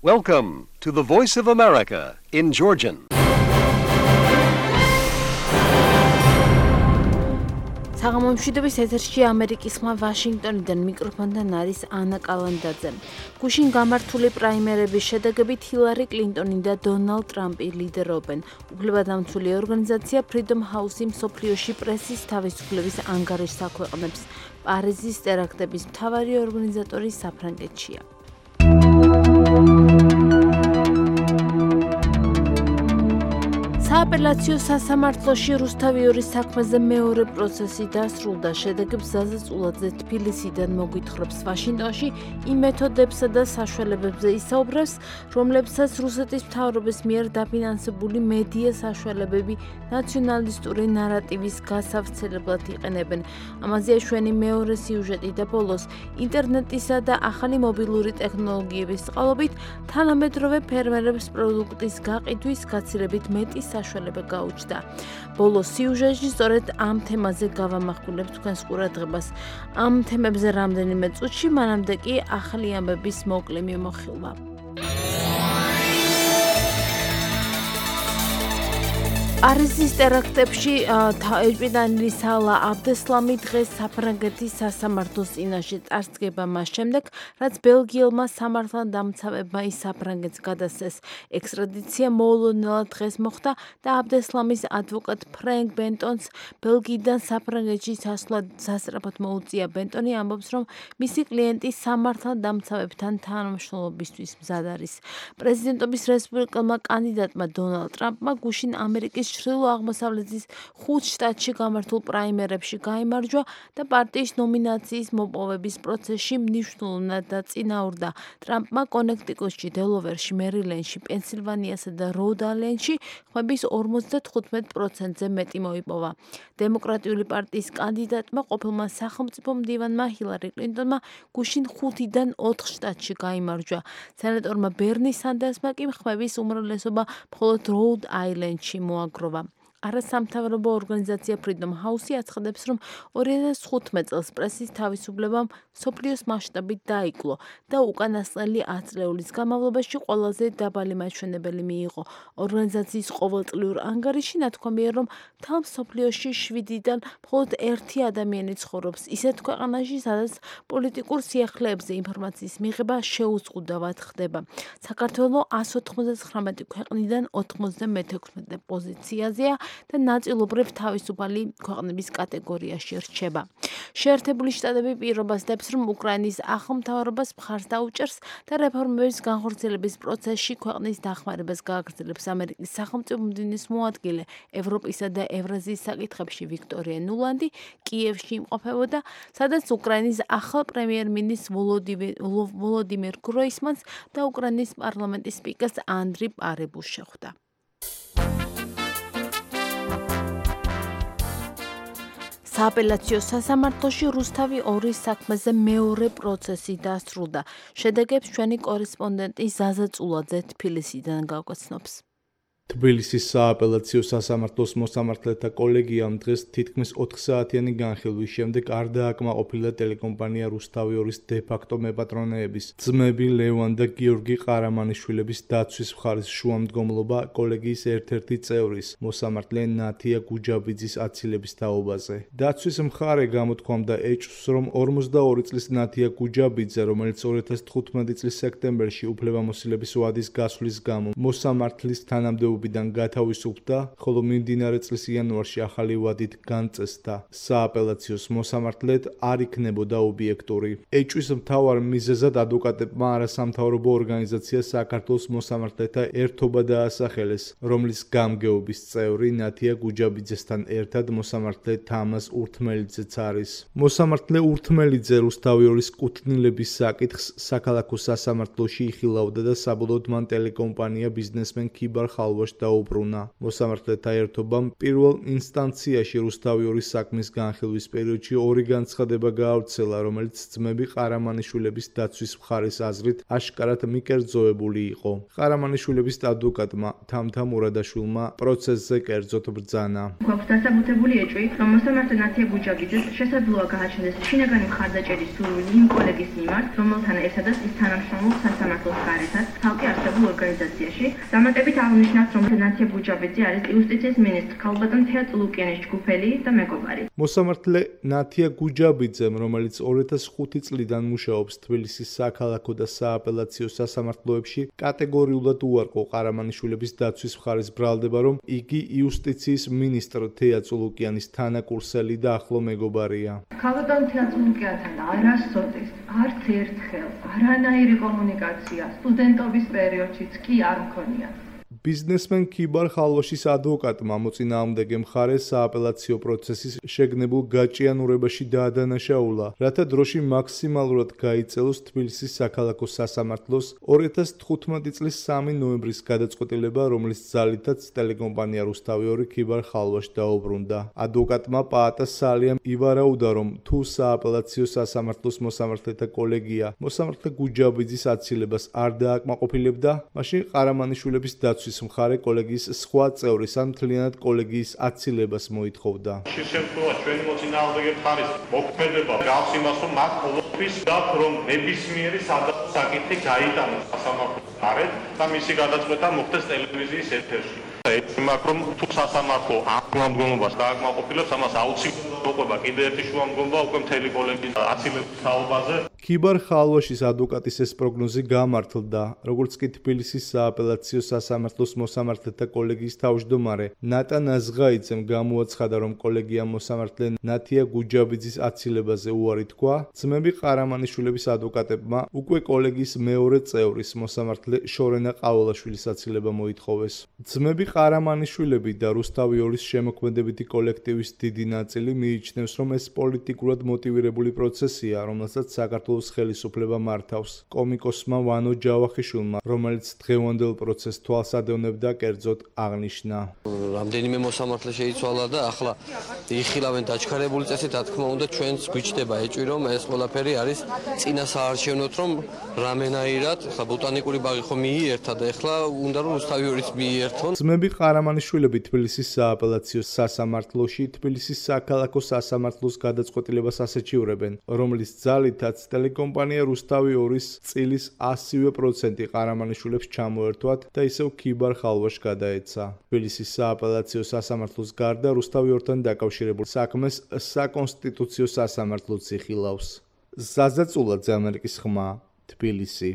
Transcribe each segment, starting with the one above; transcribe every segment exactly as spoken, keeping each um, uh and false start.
Welcome to the Voice of America in Georgian. საღამომშვიდობის ეთერში ამერიკის ხმა ვაშინგტონიდან მიკროფონთან არის ანა კალანდაძე. გუშინ გამართული პრაიმერების შედეგებით ჰილარი კლინტონი და დონალდ ტრამპი ლიდერობენ. უფლებადამცველი ორგანიზაცია Freedom House-ი მსოფლიოში პრესის თავისუფლების ანგარიშს აქვეყნებს. პარიზის ტერაქტების მთავარი ორგანიზატორი საფრანგეთშია. სააპელაციო სასამართლოში რუსთავიორის საქმეზე მეორე პროცესი დასრულდა. შედეგებს ზაზაწულაძე თბილისიდან მოგვითხრობს. ვაშინგტონში იმ მეთოდებსა და საშუალებებზე ისაუბრებს, რომლებსაც რუსეთის მთავრობის მიერ დაფინანსებული მედია საშუალებები ნაციონალისტური ნარატივის გასავრცელებლად იყენებენ. ამაზეა ჩვენი მეორე სიუჟეტი და ბოლოს ინტერნეტისა და ახალი მობილური ტექნოლოგიების წყალობით თანამედროვე ფერმერებს პროდუქტის გაყიდვის გაცილებით მეტი საშუალება გაუჩნდა. ბოლოს სიუჟეტში სწორედ ამ თემაზე გავამახვილებ თქვენს ყურადღებას. ამ თემებზე რამდენიმე წუთში, მანამდე კი ახალი ამბების მოკლე მიმოხილვა. პარიზის ტერაქტებში ეჭვმიტანილი სალა აბდესლამი დღეს საფრანგეთის სასამართლოს წინაშე წარსდგება მას შემდეგ, რაც ბელგიელმა სამართალდამცავებმა ის საფრანგეთს გადასცეს. ექსტრადიცია მოულოდნელად დღეს მოხდა და აბდესლამის ადვოკატ ფრენკ ბენტონს ბელგიიდან საფრანგეთში სასვლად სასწრაფოდ მოუწია. ბენტონი ამბობს, რომ მისი კლიენტი სამართალდამცავებთან თანამშრომლობისთვის მზად არის. პრეზიდენტობის რესპუბლიკელმა კანდიდატმა დონალდ ტრამპმა გუშინ ამერიკის ჩრდილო აღმოსავლეთის ხუთ შტატში გამართულ პრაიმერებში გაიმარჯვა და პარტიის ნომინაციის მოპოვების პროცესში მნიშვნელოვნად დაწინაურდა. ტრამპმა კონექტიკუტში, დელოვერში, მერილენდში, პენსილვანიასა და როდ-აილენდში ხმების ორმოცდათხუთმეტ პროცენტზე მეტი მოიპოვა. დემოკრატიული პარტიის კანდიდატმა ყოფილმა სახელმწიფო მდივანმა ჰილარი კლინტონმა გუშინ ხუთიდან ოთხ შტატში გაიმარჯვა. სენატორმა ბერნი სანდერსმა კი ხმების უმრავლესობა მხოლოდ როდ-აილენდში მოაგროვა. არასამთავრობო ორგანიზაცია Freedom House-ი აცხადებს, რომ ორი ათას თხუთმეტ წელს პრესის თავისუფლებამ მსოფლიოს მასშტაბით დაიკლო და უკანასკნელი ათ წლეულის განმავლობაში ყველაზე დაბალი მაჩვენებელი მიიღო. ორგანიზაციის ყოველწლიურ ანგარიში ნათქვამია, რომ მთელ მსოფლიოში შვიდიდან მხოლოდ ერთი ადამიანი ცხოვრობს ისეთ ქვეყანაში, სადაც პოლიტიკურ სიახლეებზე ინფორმაციის მიღება შეუზღუდავად ხდება. საქართველო εκατს ოთხმოცდათხრამეტი ქვეყნიდან ოთხმოცდამეექვსმეტე პოზიციაზეა და ნაწილობრივ თავისუფალი ქვეყნების კატეგორიაში რჩება. შეერთებული შტატები პირობას დებს, რომ უკრაინის ახალმთავრობას მხარს დაუჭერს და რეფორმების განხორციელების პროცესში ქვეყნის დახმარებას გააგრძელებს. ამერიკის სახელმწიფო მდივნის მოადგილე ევროპისა და ევრაზიის საკითხებში ვიქტორია ნულანდი კიევში იმყოფებოდა, სადაც უკრაინის ახალ პრემიერ-მინისტრს ვოლოდიმირ გროისმანს და უკრაინის პარლამენტის სპიკერს ანდრი პარებულს შეხვდა. სააპელაციო სასამართლოში რუსთავი ორის საქმეზე მეორე პროცესი დასრულდა. შედეგებს ჩვენი კორესპონდენტი ზაზა წულაძე თბილისიდან გავგაცნობს. თბილისის სააპელაციო სასამართლოს მოსამართლეთა კოლეგიამ დღეს თითქმის ოთხსაათიანი განხილვის შემდეგ არ დააკმაყოფილა ტელეკომპანია რუსთავი ორის დე-ფაქტო მეპატრონეების ძმები ლევან და გიორგი ყარამანიშვილების დაცვის მხარის შუამდგომლობა კოლეგიის ერთ-ერთი წევრის, მოსამართლე ნათია გუჯაბიძის აცილების თაობაზე. დაცვის მხარე გამოთქვამდა ეჭვს, რომ ორმოცდაორი წლის ნათია გუჯაბიძე, რომელიც ორი ათას თხუთმეტი წლის სექტემბერში უფლებამოსილების ვადის გასვლის გამო მოსამართლის თანამდებობიდან გათავისუფლდა, ხოლო მიმდინარე წლის იანვარში ახალი ვადით განწესდა. სააპელაციოს მოსამართლედ არ იქნებოდა ობიექტური. ეჭვის მთავარ მიზეზად ადვოკატებმა არასამთავრობო ორგანიზაცია საქართველოს მოსამართლეთა ერთობა დაასახელეს, რომლის გამგეობის წევრი ნათია გუჯაბიძესთან ერთად მოსამართლე თამაზ ურთმელიძეც არის. მოსამართლე ურთმელიძე რუსთავი ორის კუთვნილების საკითხს საქალაქო სასამართლოში იხილავდა და საბოლოოდ მან ტელეკომპანია ბიზნესმენ ქიბარ ხალვას ხალვაშ დაუბრუნა. მოსამართლეთა ერთობამ პირველ ინსტანციაში რუსთავიორის საქმის განხილვის პერიოდში ორი განცხადება გაავრცელა, რომელიც ძმები ყარამანიშვილების დაცვის მხარის აზრით აშკარად მიკერძოებული იყო. ყარამანიშვილების ადვოკატმა თამთა მურადაშვილმა პროცესზე კერძოდ ბრძანა. გვაქვს დასაბუთებული ეჭვი, რომ მოსამართლე ნათია გუჯაბიძეს შესაძლოა გააჩნდეს შინაგანი მხარდაჭერის სურვილი იმ კოლეგის მიმართ, რომელთან ერთადაც ის თანამშრომლობს სასამართლოს გარეთაც, ცალკე არსებულ ორგანიზაციაში. დამატებით აღნიშნავს, რომ ნათია გუჯაბიძე არის იუსტიციის მინისტრი ქალბატონ თეა წულუკიანის ჯგუფელი და მეგობარი. მოსამართლე ნათია გუჯაბიძემ, რომელიც ორი ათას ხუთი წლიდან მუშაობს თბილისის საქალაქო და სააპელაციო სასამართლოებში, კატეგორიულად უარყო ყარამანიშვილების დაცვის მხარის ბრალდება, რომ იგი იუსტიციის მინისტრ თეა წულუკიანის თანაკურსელი და ახლო მეგობარია. ქალბატონ თეა წულუკიანთან არასოდეს, არც ერთხელ, არანაირი კომუნიკაცია სტუდენტობის პერიოდშიც კი არ მქონია. ბიზნესმენ ქიბარ ხალვაშის ადვოკატმა მოწინააღმდეგე მხარეს სააპელაციო პროცესის შეგნებულ გაჭიანურებაში დაადანაშაულა, რათა დროში მაქსიმალურად გაიწელოს თბილისის საქალაქო სასამართლოს ორი ათას თხუთმეტი წლის სამი ნოემბრის გადაწყვეტილება, რომლის ძალითაც ტელეკომპანია რუსთავიორი ქიბარ ხალვაშ დაუბრუნდა. ადვოკატმა პაატა სალიამ ივარაუდა, რომ თუ სააპელაციო სასამართლოს მოსამართლეთა კოლეგია მოსამართლე გუჯაბიძის აცილებას არ დააკმაყოფილებდა, მაშინ ყარამანიშვილების დაცვის მხარე კოლეგიის სხვა წევრის ან მთლიანად კოლეგიის აცილებას მოითხოვდა. შენ შემთხვევაში ჩვენი მოწინააღმდეგე მხარის მოქმედება გავს იმას, რომ მათ ყოველთვის გაქვთ, რომ ნებისმიერი სადავო საკითხი გაიტანოს სასამართლოს გარეთ და მისი გადაწყვეტა მოხდეს ტელევიზიის ეთერში. ეცემაქ რომ თუ სასამართლო ამ მდგომობას დააკმაყოფილებს, ამას აუცილებლად მოყვება კიდე ერთი შუამდგომობა უკვე მთელი კოლეგიის აცილების თაობაზე. ქიბარ ხალვაშის ადვოკატის ეს პროგნოზი გამართლდა, როგორც კი თბილისის სააპელაციო სასამართლოს მოსამართლეთა კოლეგიის თავმჯდომარე ნატან აზღაიძემ გამოაცხადა, რომ კოლეგიამ მოსამართლე ნათია გუჯაბიძის აცილებაზე უარი თქვა, ძმები ყარამანიშვილების ადვოკატებმა უკვე კოლეგიის მეორე წევრის მოსამართლე შორენა ყაოლაშვილის აცილება მოითხოვეს. ძმები ყარამანიშვილები და რუსთავიორის შემოქმედებითი კოლექტივის დიდი ნაწილი მიიჩნევს, რომ ეს პოლიტიკურად მოტივირებული პროცესია, რომელსაც საქართველოს ხელისუფლება მართავს. კომიკოსმა ვანო ჯავახიშვილმა, რომელიც დღევანდელ პროცესს თვალს ადევნებდა, კერძოდ აღნიშნა. რამდენიმე მოსამართლე შეიცვალა და ახლა იხილავენ დაჩქარებული წესით, რა თქმა უნდა, ჩვენც გვიჩნდება ეჭვი, რომ ეს ყველაფერი არის წინა საარჩევნოთ, რომ რამენაირად, ახლა ბოტანიკური ბაღი ხო მიიერთა და ახლა უნდა რომ რუსთავიორის მიერთონ. ძმები ყარამანიშვილები თბილისის სააპელაციო სასამართლოში თბილისის საქალაქო სასამართლოს გადაწყვეტილებას ასეჩივრებენ, რომლის ძალითაც ტელეკომპანია რუსთავიორის წილის ასივე პროცენტი ყარამანიშვილებს ჩამოერთვათ და ისევ ქიბარ ხალვაშ გადაეცა. თბილისის სააპელაციო სასამართლოს გარდა რუსთავიორთან დაკავშირებულ საქმეს საკონსტიტუციო სასამართლოც იხილავს. ზაზა წულაძე, ამერიკის ხმა, თბილისი.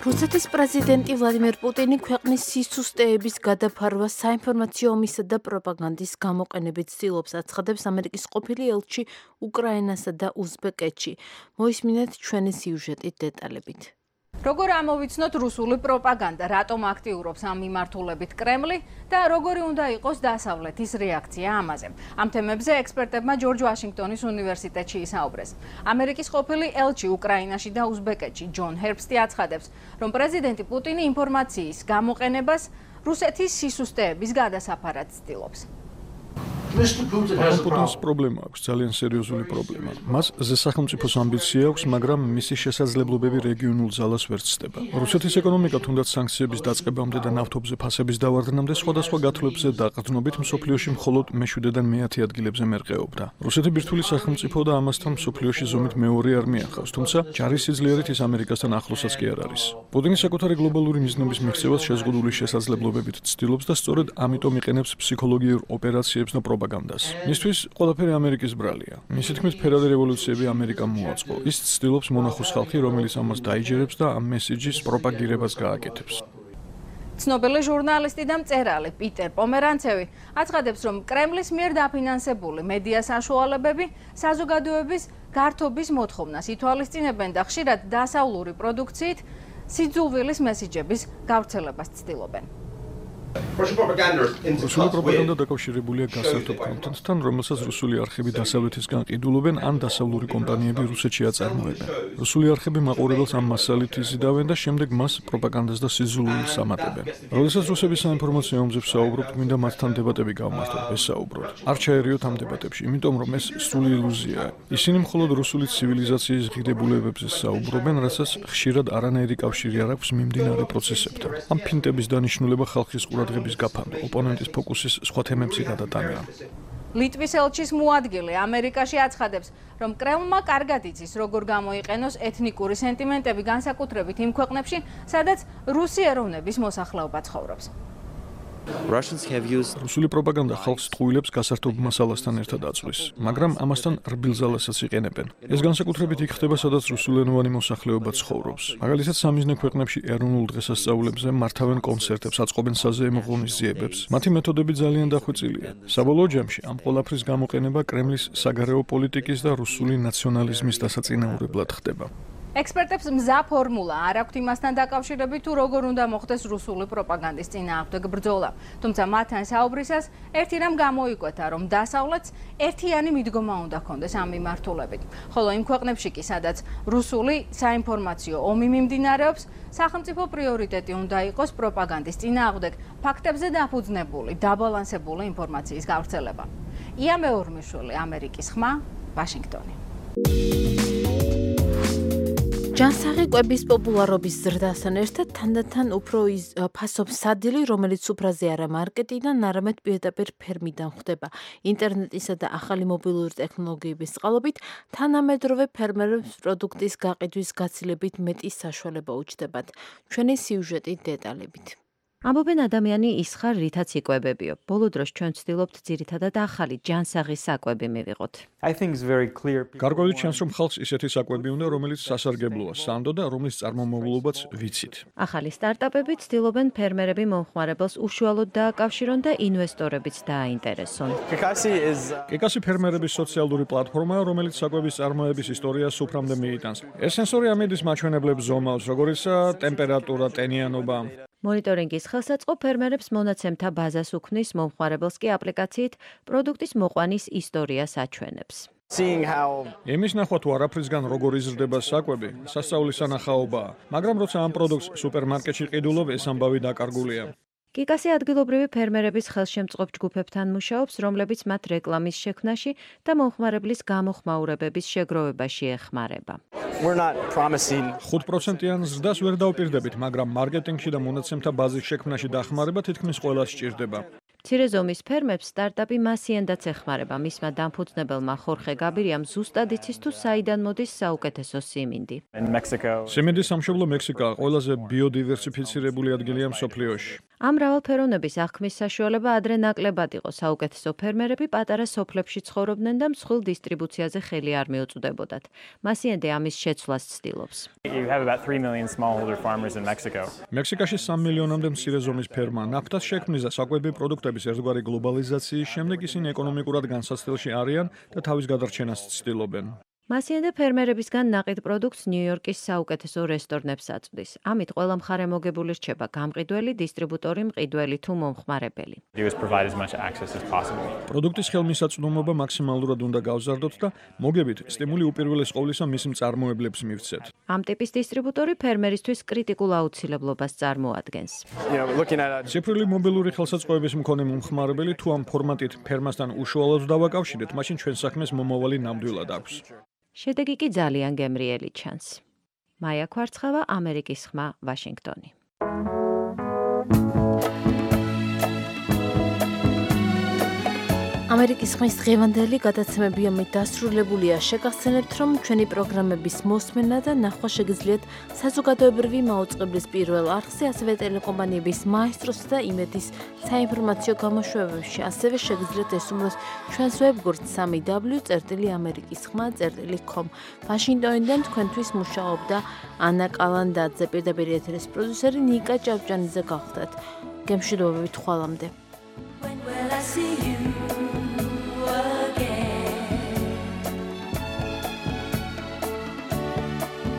რუსეთის პრეზიდენტი ვლადიმერ პუტინი ქვეყნის სისუსტეების გადაფარვას საინფორმაციო ომისა და პროპაგანდის გამოყენებით ცდილობს, აცხადებს ამერიკის ყოფილი ელჩი უკრაინასა და უზბეკეთში. მოისმინეთ ჩვენი სიუჟეტით დეტალებით. როგორ ამოვიცნოთ რუსული პროპაგანდა, რატომ აქტიურობს ამ მიმართულებით კრემლი და როგორი უნდა იყოს დასავლეთის რეაქცია ამაზე. ამ თემებზე ექსპერტებმა ჯორჯ ვაშინგტონის უნივერსიტეტში ისაუბრეს. ამერიკის ყოფილი ელჩი უკრაინაში და უზბეკეთში ჯონ ჰერბსტი აცხადებს, რომ პრეზიდენტი პუტინი ინფორმაციის გამოყენებას რუსეთის სისუსტეების გადასაფარად ცდილობს. პუტინს პრობლემა აქვს, ძალიან სერიოზული პრობლემა. მას ზესახელმწიფოს ამბიცია აქვს, მაგრამ მისი შესაძლებლობები რეგიონულ ძალას ვერ ცდება. რუსეთის ეკონომიკა თუნდაც სანქციების დაწყებამდე და ნავთობზე ფასების დავარდნამდე სხვადასხვა გათვლებზე და ყრდნობით მსოფლიოში მხოლოდ მეშვიდედან მეათე ადგილებზე მერყეობდა. რუსეთი ბირთვული სახელმწიფო და ამასთან მსოფლიოში ზომით მეორე არმია ხავს, თუმცა ჯარის სიძლიერით ის ამერიკასთან ახლოსაც კი არ არის. პუტინი საკუთარი გლობალური მიზნების მიღწევას შეზღუდული შესაძლებლობებით ცდილობს და სწორედ ამიტომ იყენებს ფსიქოლოგიურ ოპერაციებს და პროპაგანდას. მისთვის ყველაფერი ამერიკის ბრალია. მისი თქმით, ფერადი რევოლუციები ამერიკამ მოაწყო. ის ცდილობს მონახოს ხალხი, რომელიც ამას დაიჯერებს და ამ მესიჯის პროპაგირებას გააკეთებს. ცნობილი ჟურნალისტი და მწერალი პიტერ პომერანცევი აცხადებს, რომ კრემლის მიერ დაფინანსებული მედია საშუალებები საზოგადოების გართობის მოთხოვნას ითვალისწინებენ და ხშირად დასავლური პროდუქციით სიძულვილის მესიჯების გავრცელებას ცდილობენ. რუსული პროპაგანდა დაკავშირებულია გასართობ კონტენტთან, რომელსაც რუსული არხები დასავლეთისგან ყიდულობენ ან დასავლური კომპანიები რუსეთში აწარმოებენ. რუსული არხები მაყურებელს ამ მასალით იზიდავენ და შემდეგ მას პროპაგანდას და სიზულულს ამატებენ. როდესაც რუსები საინფორმაციო ომზებს საუბრობთ, მინდა მათთან დებატები გავმართოთ, ვესაუბროთ. არ ჩაერიოთ ამ დებატებში, იმიტომ რომ ეს სრული ილუზიაა. ისინი მხოლოდ რუსული ცივილიზაციის ღირებულებებზე საუბრობენ, რასაც ხშირად არანაირი კავშირი არ აქვს მიმდინარე პროცესებთან. ამ ფინტების დანიშნულება ხალხის ყურადღების გაფანტა, ოპონენტის ფოკუსის სხვა თემებზე გადატანა. ლიტვის ელჩის მოადგილე ამერიკაში აცხადებს, რომ კრემლმა კარგად იცის, როგორ გამოიყენოს ეთნიკური სენტიმენტები განსაკუთრებით იმ ქვეყნებში, სადაც რუსი ეროვნების მოსახლეობა ცხოვრობს. რუსული პროპაგანდა ხალხს ტყუილებს გასართობ მასალასთან ერთად აწვის, მაგრამ ამასთან რბილზალასაც იყენებენ. ეს განსაკუთრებით იქ ხდება, სადაც რუსულენოვანი მოსახლეობა ცხოვრობს. მაგალითად, სამიზნე ქვეყნებში ეროვნულ დღესასწაულებზე მართავენ კონცერტებს, აწყობენ საზეიმო ღონისძიებებს. მათი მეთოდები ძალიან დახვეწილია. საბოლოო ჯამში ამ ყველაფრის გამოყენება კრემლის საგარეო პოლიტიკის და რუსული ნაციონალიზმის დასაწინაურებლად ხდება. ექსპერტებს მზა ფორმულა არ აქვთ იმასთან დაკავშირებით, თუ როგორ უნდა მოხდეს რუსული პროპაგანდის წინააღმდეგ ბრძოლა. თუმცა მათთან საუბრისას ერთი რამ გამოიკვეთა, რომ დასავლეთს ერთიანი მიდგომა უნდა ჰქონდეს ამ მიმართულებით. ხოლო იმ ქვეყნებში კი, სადაც რუსული საინფორმაციო ომი მიმდინარეობს, სახელმწიფო პრიორიტეტი უნდა იყოს პროპაგანდის წინააღმდეგ ფაქტებზე დაფუძნებული, დაბალანსებული ინფორმაციის გავრცელება. ია მეორმიშვილი, ამერიკის ხმა, ვაშინგტონი. ჯანსაღი კვების პოპულარობის ზრდასთან ერთად თანდათან უფრო ფასობს სადილი, რომელიც სუფრაზე არა მარკეტიდან, არამედ პირდაპირ ფერმიდან ხდება. ინტერნეტისა და ახალი მობილური ტექნოლოგიების წყალობით თანამედროვე ფერმერებს პროდუქტის გაყიდვის გაცილებით მეტი საშუალება უჩნდებათ. ჩვენი სიუჟეტი დეტალებით. ამბობენ ადამიანი ის ხარ, რითაც იკვებებიო. ბოლო დროს ჩვენ ვცდილობთ ძირითადად ახალი ჯანსაღი საკვები მივიღოთ. გარკვეულწილად ჩანს, რომ ხალხს ისეთი საკვები უნდა, რომელიც სასარგებლოა, სანდო და რომლის წარმომავლობაც ვიცით. ახალი სტარტაპები ცდილობენ ფერმერები მომხმარებელს უშუალოდ დააკავშირონ და ინვესტორებიც დააინტერესონ. კეკასი ფერმერების სოციალური პლატფორმაა, რომელიც საკვების წარმოების ისტორიას სუფრამდე მიიტანს. ეს სენსორი ამედის მაჩვენებლებს ზომავს, როგორიცაა ტემპერატურა, ტენიანობა. მონიტორინგის ხელსაწყო ფერმერებს მონაცემთა ბაზას უქმნის, მომხმარებელს კი აპლიკაციით პროდუქტის მოყვანის ისტორიას აჩვენებს. იმის ნახვა თუ არაფრისგან როგორ იზრდება საკვები, სასწაულის სანახაობაა, მაგრამ როცა ამ პროდუქტს სუპერმარკეტში ყიდულობ, ეს ამბავი დაკარგულია. კიკასი ადგილობრივი ფერმერების ხელშემწყობ ჯგუფებთან მუშაობს, რომლებიც მათ რეკლამის შექმნაში და მომხმარებლის გამოხმაურებების შეგროვებაში ეხმარება. ხუთ პროცენტიან ზრდას ვერ დავპირდებით, მაგრამ მარკეტინგში და მონაცემთა ბაზის შექმნაში დახმარება თითქმის ყველას სჭირდება. მცირე ზომის ფერმებს სტარტაპი მასიენდაც ეხმარება. მისმა დამფუძნებელმა ხორხე გაბირიამ ზუსტად იცის თუ საიდან მოდის საუკეთესო სიმინდი. სიმინდის სამშობლო მექსიკაა, ყველაზე ბიოდივერსიფიცირებული ადგილია მსოფლიოში. ამ მრავალფეროვნების აღქმის საშუალება ადრე ნაკლებად იყო. საუკეთესო ფერმერები პატარა სოფლებში ცხოვრობდნენ და მსხვილ დისტრიბუციაზე ხელი არ მიუწვდებოდათ. მასიენდე ამის შეცვლას ცდილობს. მექსიკაში სამი მილიონამდე მცირე ზომის ფერმა ნაფთას შექმნის და საკვები პროდუქტების ერთგვარი გლობალიზაციის შემდეგ ისინი ეკონომიკურად განსაცდელში არიან და თავის გადარჩენას ცდილობენ. მასიენდე ფერმერებისგან ნაყიდ პროდუქტს ნიუ-იორკის საუკეთესო რესტორნებს აწვდის. ამით ყველა მხარე მოგებული რჩება გამყიდველი, დისტრიბუტორი, მყიდველი თუ მომხმარებელი. პროდუქტის ხელმისაწვდომობა მაქსიმალურად უნდა გავზარდოთ და მოგებით სტიმული უპირველეს ყოვლისა მის მწარმოებლებს მივცეთ. ამ ტიპის დისტრიბუტორი ფერმერისთვის კრიტიკულ აუცილებლობას წარმოადგენს. ციფრული მობილური ხელსაწყოების მქონე მომხმარებელი თუ ამ ფორმატით ფერმასთან უშუალოდ დავაკავშირეთ, მაშინ ჩვენ საქმეს მომავალი ნამდვილად აქვს. შედეგი კი ძალიან გემრიელი ჩანს. მაია ქვარცხავა, ამერიკის ხმა, ვაშინგტონი. ამერიკის ხმის დღევანდელი გადაცემები ამით დასრულებულია. შეგახსენებთ, რომ ჩვენი პროგრამების მოსმენა და ნახვა შეგიძლიათ საზოგადოებრივი მაუწყებლის პირველ არხზე, ასევე ტელეკომპანიების მაესტროს და იმედის საინფორმაციო გამოშვებებში. ასევე შეგიძლიათ ესუმლოს ჩვენს ვებგვერდს სამი დაბლიუ წერტილი ამერიკის ხმა წერტილი com. ვაშინგტონიდან თქვენთვის მუშაობდა ანა კალანდაძე, პირდაპირ ეთერის პროდიუსერი ნიკა ჭავჭანიძე გახლდათ. გემშვიდობებით ხვალამდე. When will I see you again?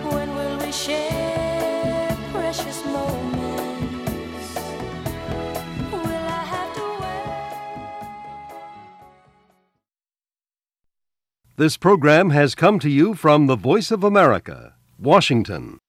When will we share precious moments? Will This program has come to you from the Voice of America, Washington.